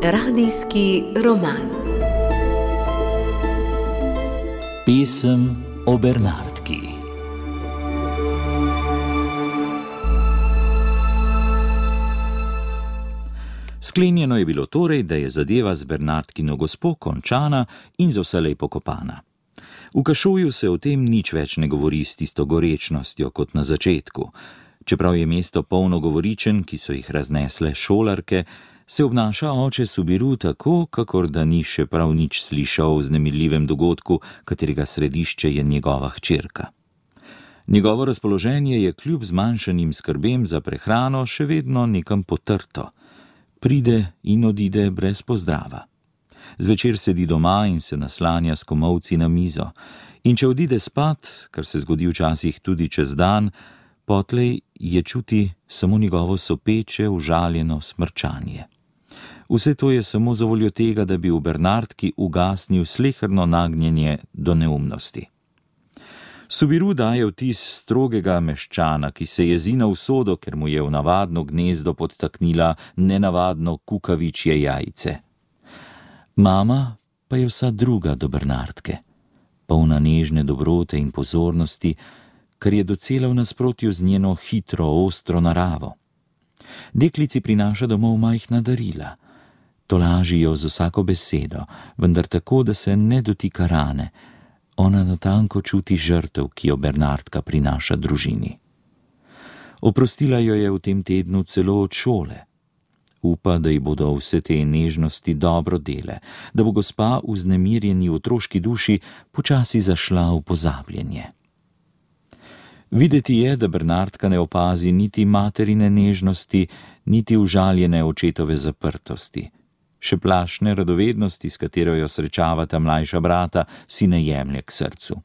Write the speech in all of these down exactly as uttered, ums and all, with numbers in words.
Radijski roman. Pesem o Bernardki. Sklenjeno je bilo torej, da je zadeva z Bernardkino gospo končana in za vselej pokopana. V Kašoju se o tem nič več ne govori s tisto gorečnostjo kot na začetku. Čeprav je mesto polno govoričen, ki so jih raznesle šolarke, se obnaša oče Subiru tako, kakor da ni še prav nič slišal o vznemirljivem dogodku, katerega središče je njegova hčerka. Njegovo razpoloženje je kljub zmanjšanim skrbem za prehrano še vedno nekam potrto. Pride in odide brez pozdrava. Zvečer sedi doma in se naslanja s komolci na mizo. In če odide spat, kar se zgodi včasih tudi čez dan, potlej je čuti samo njegovo sopeče, užaljeno smrčanje. Vse to je samo zavoljo tega, da bi v Bernardki ugasnil sleherno nagnjenje do neumnosti. Subiru daje vtis strogega meščana, ki se jezi na usodo, ker mu je v navadno gnezdo podtaknila nenavadno kukavičje jajce. Mama pa je vsa druga do Bernardke, polna nežne dobrote in pozornosti, kar je docela v nasprotju z njeno hitro, ostro naravo. Deklici prinaša domov majhna darila. Tolaži jo z vsako besedo, vendar tako, da se ne dotika rane. Ona natanko čuti žrtev, ki jo Bernardka prinaša družini. Oprostila jo je v tem tednu celo od šole. Upa, da ji bodo vse te nežnosti dobro dele, da bo gospa v vznemirjeni otroški duši počasi zašla v pozabljenje. Videti je, da Bernardka ne opazi niti materine nežnosti, niti užaljene očetove zaprtosti. Še plašne radovednosti, s katero jo srečavata mlajša brata, si ne jemlje k srcu.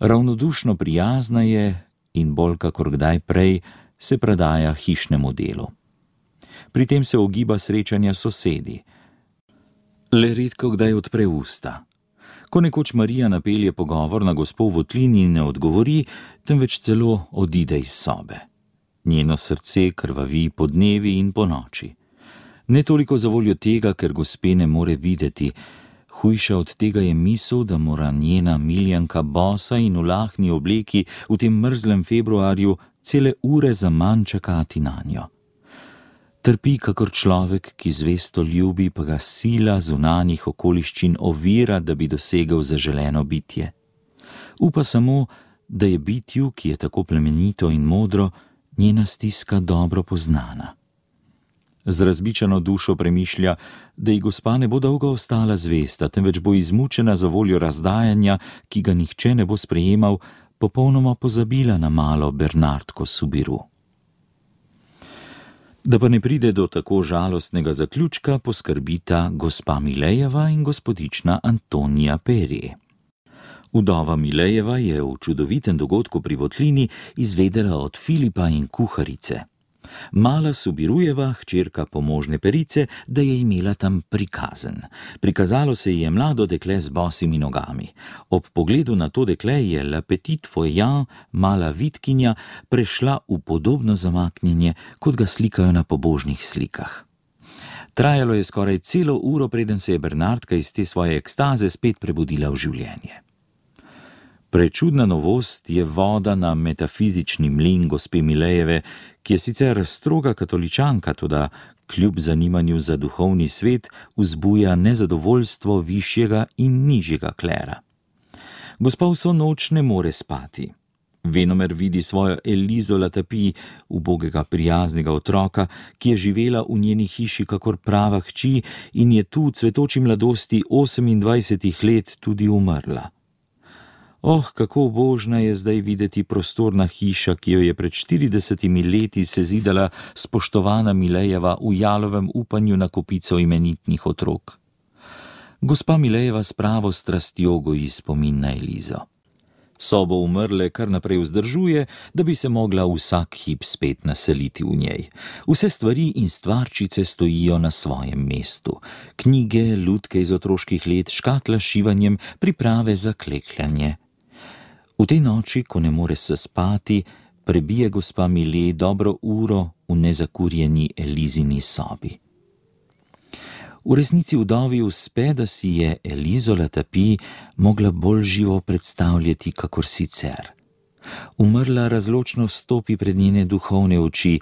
Ravnodušno prijazna je in bolj kakor kdaj prej se predaja hišnemu delu. Pri tem se ogiba srečanja sosedi. Le redko kdaj odpre usta. Ko nekoč Marija napelje pogovor na gospo v votlini in ne odgovori, temveč celo odide iz sobe. Njeno srce krvavi po dnevi in po noči. Ne toliko zavoljo tega, ker gospe ne more videti. Hujša od tega je misel, da mora njena miljanka bosa in v lahni obleki v tem mrzlem februarju cele ure zaman čakati nanjo. Trpi kakor človek, ki zvesto ljubi, pa ga sila zunanjih okoliščin ovira, da bi dosegel zaželeno bitje. Upa samo, da je bitju, ki je tako plemenito in modro, njena stiska dobro poznana. Z razbičano dušo premišlja, da ji gospa ne bo dolgo ostala zvesta, temveč bo izmučena za voljo razdajanja, ki ga nihče ne bo sprejemal, popolnoma pozabila na malo Bernardko Subiru. Da pa ne pride do tako žalostnega zaključka, poskrbita gospa Milejeva in gospodična Antonija Perje. Vdova Milejeva je v čudovitem dogodku pri votlini izvedela od Filipa in kuharice. Mala Subirujeva, hčerka pomožne perice, da je imela tam prikazen. Prikazalo se ji je mlado dekle z bosimi nogami. Ob pogledu na to dekle je la petite foyan, mala vitkinja, prešla v podobno zamaknjenje, kot ga slikajo na pobožnih slikah. Trajalo je skoraj celo uro, preden se je Bernardka iz te svoje ekstaze spet prebudila v življenje. Prečudna novost je voda na metafizični mlin gospe Milejeve, ki je sicer stroga katoličanka, toda kljub zanimanju za duhovni svet vzbuja nezadovoljstvo višjega in nižjega klera. Gospa vso noč ne more spati. Venomer vidi svojo Elizo Latapi, ubogega prijaznega otroka, ki je živela v njeni hiši kakor prava hči in je tu v cvetoči mladosti osemindvajsetih let tudi umrla. Oh, kako ubožna je zdaj videti prostorna hiša, ki jo je pred štiridesetimi leti sezidala spoštovana Milejeva v jalovem upanju na kopico imenitnih otrok. Gospa Milejeva s pravo strastjo goji spomin na Elizo. Sobo umrle kar naprej vzdržuje, da bi se mogla vsak hip spet naseliti v njej. Vse stvari in stvarčice stojijo na svojem mestu. Knjige, lutke iz otroških let, škatla s šivanjem, priprave za klekljanje. V tej noči, ko ne more se spati, prebije gospa Mile dobro uro v nezakurjeni Elizini sobi. V resnici vdovi uspe, da si je Elizo Latapi mogla bolj živo predstavljati kakor sicer. Umrla razločno stopi pred njene duhovne oči,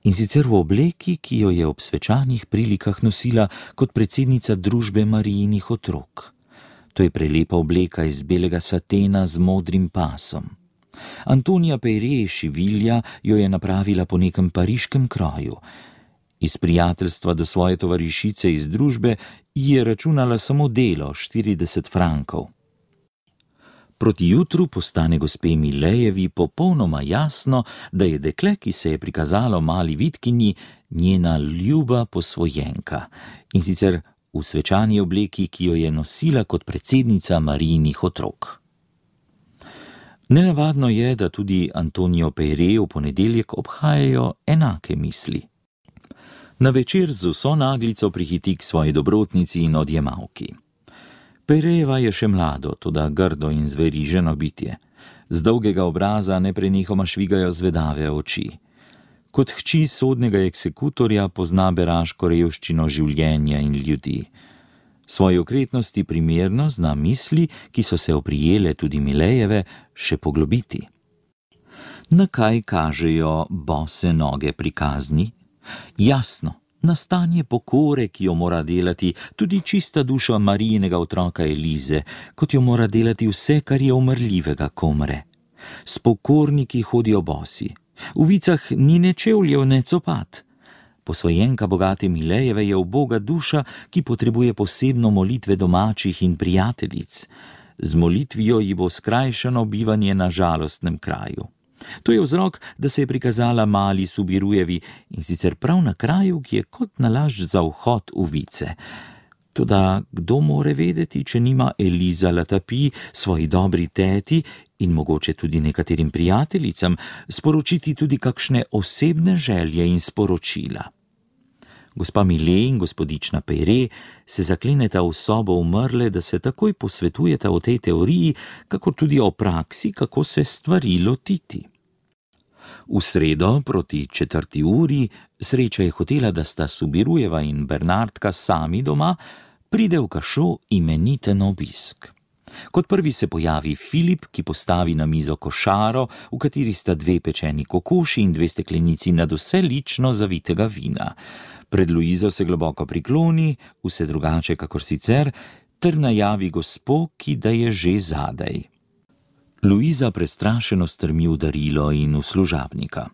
in sicer v obleki, ki jo je ob svečanih prilikah nosila kot predsednica družbe Marijinih otrok. To je prelepa obleka iz belega satena z modrim pasom. Antonija Peyre Šivilja jo je napravila po nekem pariškem kroju. Iz prijateljstva do svoje tovarišice iz družbe ji je računala samo delo, štirideset frankov. Proti jutru postane gospe Milejevi popolnoma jasno, da je dekle, ki se je prikazalo mali Vitkinji, njena ljuba posvojenka, in sicer v svečani obleki, ki jo je nosila kot predsednica Marijinih otrok. Nenavadno je, da tudi Antonijo Peyre v ponedeljek obhajajo enake misli. Na večer z vso naglico prihiti k svoji dobrotnici in odjemalki. Peyrejeva je še mlado, toda grdo in zveriženo bitje. Z dolgega obraza neprenehoma švigajo zvedave oči. Kot hči sodnega eksekutorja pozna beraško revščino življenja in ljudi. Svoji okretnosti primerno zna misli, ki so se oprijele tudi Milejeve, še poglobiti. Na kaj kažejo bose noge pri kazni? Jasno, na stanje pokore, ki jo mora delati tudi čista duša Marijinega otroka Elize, kot jo mora delati vse, kar je umrljivega, ko umre. S pokorniki hodijo bosi, v vicah ni ne čevljev, ne copat. Posvojenka bogate Milejeve je uboga duša, ki potrebuje posebno molitve domačih in prijateljic. Z molitvijo ji bo skrajšano bivanje na žalostnem kraju. To je vzrok, da se je prikazala mali Subirujevi, in sicer prav na kraju, ki je kot nalašč za vhod v vice. Toda kdo more vedeti, če nima Eliza Latapi svoji dobri teti in mogoče tudi nekaterim prijateljicam sporočiti tudi kakšne osebne želje in sporočila. Gospa Mile in gospodična Peyre se zakleneta v sobo umrle, da se takoj posvetujeta o tej teoriji, kakor tudi o praksi, kako se stvari lotiti. V sredo proti četrti uri Sreča je hotela, da sta Subirujeva in Bernardka sami doma, pride v Kašo imeniten obisk. Kot prvi se pojavi Filip, ki postavi na mizo košaro, v kateri sta dve pečeni kokoši in dve steklenici nadvse lično zavitega vina. Pred Luizo se globoko prikloni, vse drugače kakor sicer, ter najavi gospo, ki da je že zadaj. Luiza prestrašeno strmi v darilo in v služabnika.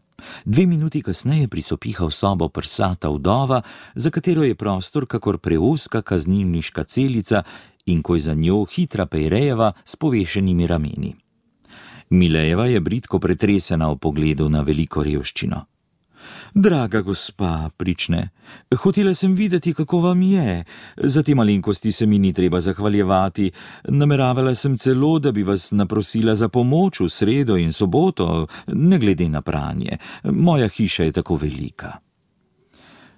Dve minuti kasneje prisopiha v sobo prsata vdova, za katero je prostor kakor preoska kaznilniška celica in ko je za njo hitra Peyrejeva s povešenimi rameni. Milejeva je bridko pretresena v pogledu na veliko revščino. Draga gospa, prične, hotela sem videti, kako vam je. Za te malenkosti se mi ni treba zahvaljevati. Nameravala sem celo, da bi vas naprosila za pomoč v sredo in soboto, ne glede na pranje. Moja hiša je tako velika.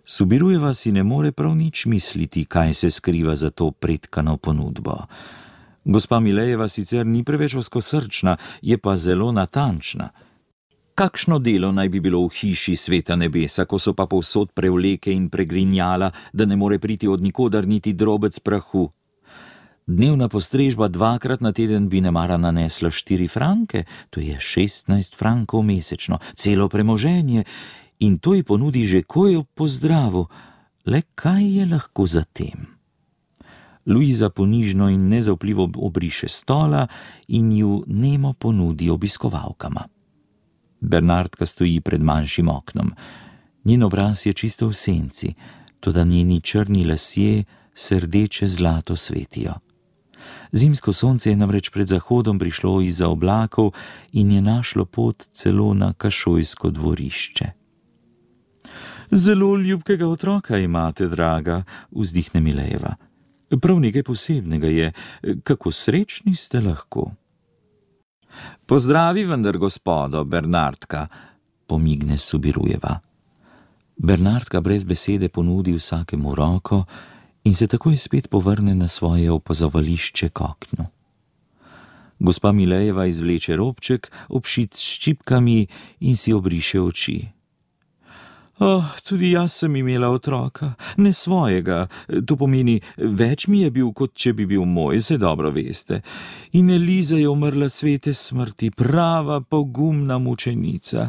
Subirujeva si ne more prav nič misliti, kaj se skriva za to pretkano ponudbo. Gospa Milejeva sicer ni preveč ozkosrčna, je pa zelo natančna. Kakšno delo naj bi bilo v hiši sveta nebesa, ko so pa povsod prevleke in pregrinjala, da ne more priti od nikoder niti drobec prahu? Dnevna postrežba dvakrat na teden bi nemara nanesla štiri franke, to je šestnajst frankov mesečno, celo premoženje, in to ji ponudi že kojo pozdravu. Le kaj je lahko za tem? Luiza ponižno in nezaupljivo obriše stola in ju nemo ponudi obiskovalkama. Bernardka stoji pred manjšim oknom. Njen obraz je čisto v senci, toda njeni črni lasje se rdeče zlato svetijo. Zimsko sonce je namreč pred zahodom prišlo izza oblakov in je našlo pot celo na kašojsko dvorišče. Zelo ljubkega otroka imate, draga, vzdihne Milejeva. Prav nekaj posebnega je, kako srečni ste lahko. Pozdravi vendar gospodo, Bernardka, pomigne Subirujeva. Bernardka brez besede ponudi vsakemu roko in se takoj spet povrne na svoje opazovališče k oknu. Gospa Milejeva izvleče robček, obšit s ščipkami, in si obriše oči. Oh, tudi jaz sem imela otroka, ne svojega, to pomeni, več mi je bil, kot če bi bil moj, se dobro veste. In Eliza je umrla svete smrti, prava pogumna mučenica.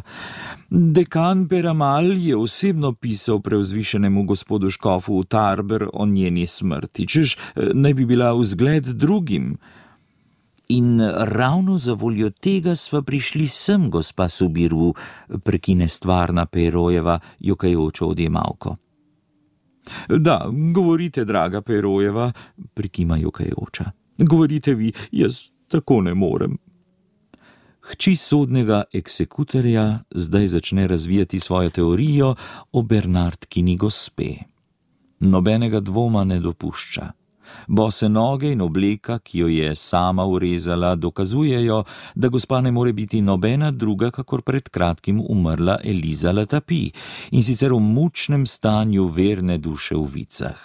Dekan Peramal je osebno pisal preuzvišenemu gospodu škofu v Tarber o njeni smrti, češ naj bi bila vzgled drugim. In ravno za voljo tega sva prišli sem, gospa Subiru, prekine stvarna Perojeva, jokajočo odjemalko. Da, govorite, draga Perojeva, prekima jokajoča. Govorite vi, jaz tako ne morem. Hči sodnega eksekutorja zdaj začne razvijati svojo teorijo o Bernardkini gospe. Nobenega dvoma ne dopušča. Bose noge in obleka, ki jo je sama urezala, dokazujejo, da gospa ne more biti nobena druga, kakor pred kratkim umrla Eliza Latapi, in sicer v mučnem stanju verne duše v vicah.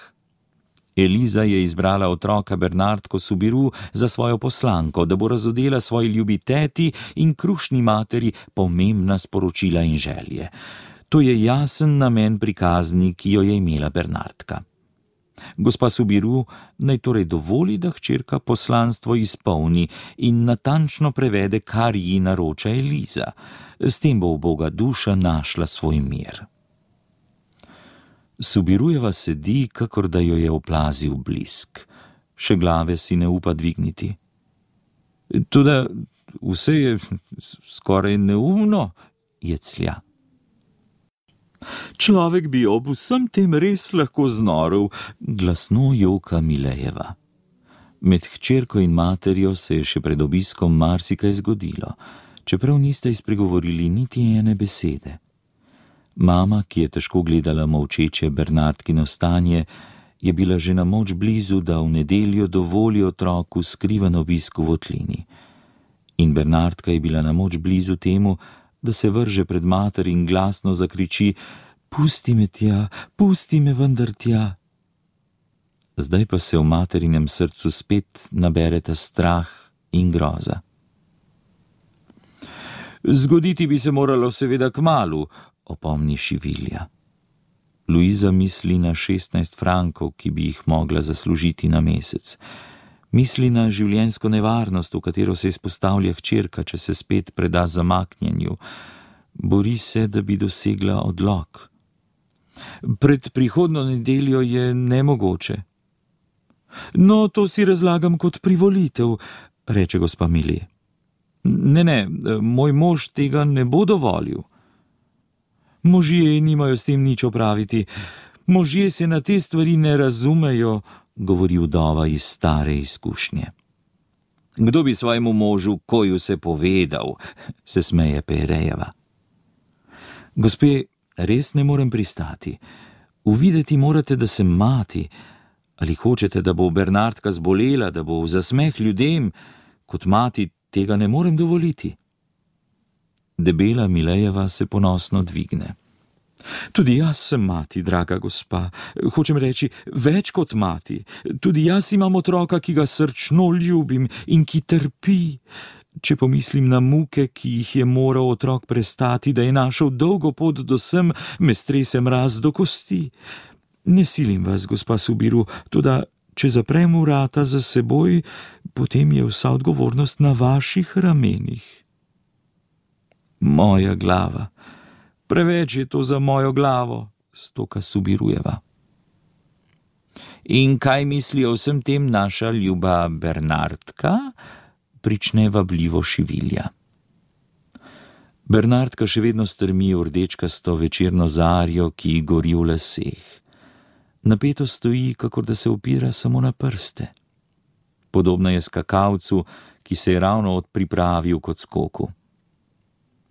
Eliza je izbrala otroka Bernardko Subiru za svojo poslanko, da bo razodela svoji ljubi teti in krušni materi pomembna sporočila in želje. To je jasen namen prikazni, ki jo je imela Bernardka. Gospa Subiru naj torej dovoli, da hčerka poslanstvo izpolni in natančno prevede, kar ji naroča Eliza. S tem bo uboga duša našla svoj mir. Subirujeva sedi, kakor da jo je oplazil blisk. Še glave si ne upa dvigniti. Toda vse je skoraj neumno, jeclja. Človek bi ob vsem tem res lahko znorel, glasno joka Milejeva. Med hčerko in materjo se je še pred obiskom marsikaj zgodilo, čeprav niste izpregovorili niti ene besede. Mama, ki je težko gledala molčeče Bernardkino stanje, je bila že na moč blizu, da v nedeljo dovoli otroku skriven obisk v votlini. In Bernardka je bila na moč blizu temu, da se vrže pred mater in glasno zakriči: pusti me tja, pusti me vendar tja. Zdaj pa se v materinem srcu spet nabereta strah in groza. Zgoditi bi se moralo seveda kmalu, opomni Šivilja. Luiza misli na šestnajst frankov, ki bi jih mogla zaslužiti na mesec. Misli na življenjsko nevarnost, v katero se izpostavlja hčerka, če se spet preda zamaknjenju. Bori se, da bi dosegla odlok. Pred prihodnjo nedeljo je nemogoče. No, to si razlagam kot privolitev, reče gospa Milje. Ne, ne, moj mož tega ne bo dovolil. Možje nimajo s tem nič opraviti. Možje se na te stvari ne razumejo, govori vdova iz stare izkušnje. Kdo bi svojemu možu koju se povedal, se smeje Perejeva. Gospe, res ne morem pristati. Uvideti morate, da sem mati. Ali hočete, da bo Bernardka zbolela, da bo v zasmeh ljudem? Kot mati tega ne morem dovoliti. Debela Milejeva se ponosno dvigne. Tudi jaz sem mati, draga gospa. Hočem reči, več kot mati. Tudi jaz imam otroka, ki ga srčno ljubim in ki trpi. Če pomislim na muke, ki jih je moral otrok prestati, da je našel dolgo pot do sem, me strese mraz do kosti. Ne silim vas, gospa Subiru, toda če zaprem vrata za seboj, potem je vsa odgovornost na vaših ramenih. Moja glava. Preveč je to za mojo glavo, stoka Subirujeva. In kaj misli o vsem tem naša ljuba Bernardka? Prične vabljivo Šivilja. Bernardka še vedno strmi v rdečkasto večerno zarjo, ki gori v laseh. Napeto stoji, kakor da se opira samo na prste. Podobna je skakavcu, ki se je ravno odpripravil kot skoku.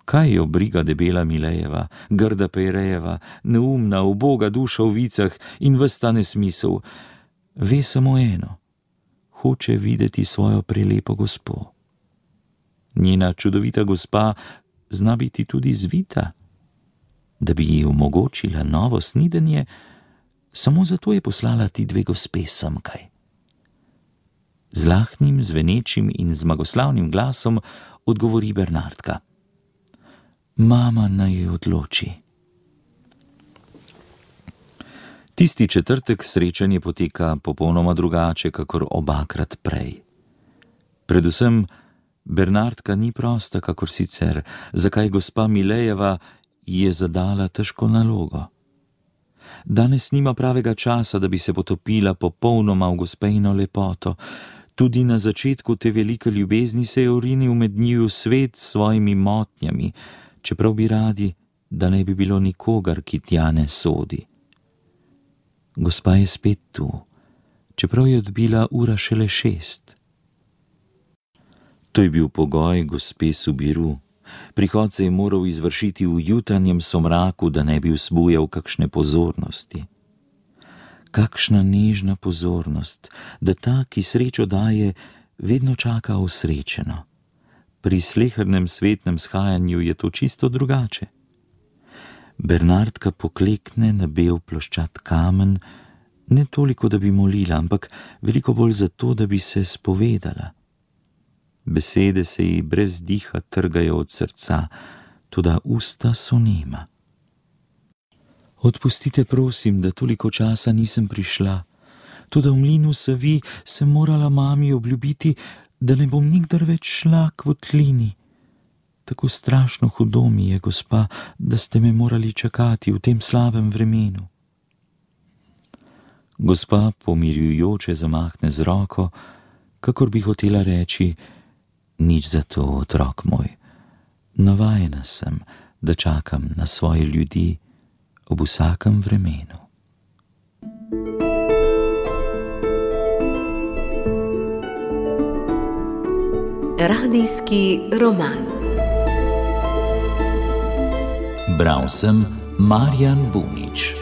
Kaj jo briga debela Milejeva, grda Perejeva, neumna, uboga duša v vicah in ves ta nesmisel? Ve samo eno. Hoče videti svojo prelepo gospo. Njena čudovita gospa zna biti tudi zvita. Da bi ji omogočila novo snidenje, samo zato je poslala ti dve gospe semkaj. Z lahnim, zvenečim in zmagoslavnim glasom odgovori Bernardka: Mama naj odloči. Tisti četrtek srečanje poteka popolnoma drugače, kakor obakrat prej. Predvsem Bernardka ni prosta, kakor sicer, zakaj gospa Milejeva je zadala težko nalogo. Danes nima pravega časa, da bi se potopila popolnoma v gospejino lepoto. Tudi na začetku te velike ljubezni se je orinil med njiju svet s svojimi motnjami, čeprav bi radi, da ne bi bilo nikogar, ki tja ne sodi. Gospa je spet tu, čeprav je odbila ura šele šest. To je bil pogoj gospe Subiru. Prihod se je moral izvršiti v jutranjem somraku, da ne bi vzbujal kakšne pozornosti. Kakšna nežna pozornost, da ta, ki srečo daje, vedno čaka osrečeno. Pri slehernem svetnem shajanju je to čisto drugače. Bernardka poklekne na bel ploščat kamen, ne toliko, da bi molila, ampak veliko bolj zato, da bi se spovedala. Besede se ji brez diha trgajo od srca, toda usta so nema. Odpustite, prosim, da toliko časa nisem prišla, toda v mlinu Savi sem morala mami obljubiti, da ne bom nikdar več šla k votlini. Tako strašno hudo mi je, gospa, da ste me morali čakati v tem slabem vremenu. Gospa pomirjujoče zamahne z roko, kakor bi hotela reči: Nič za to, otrok moj. Navajena sem, da čakam na svoje ljudi ob vsakem vremenu. Radijski roman. Bral sem Marjan Bunič.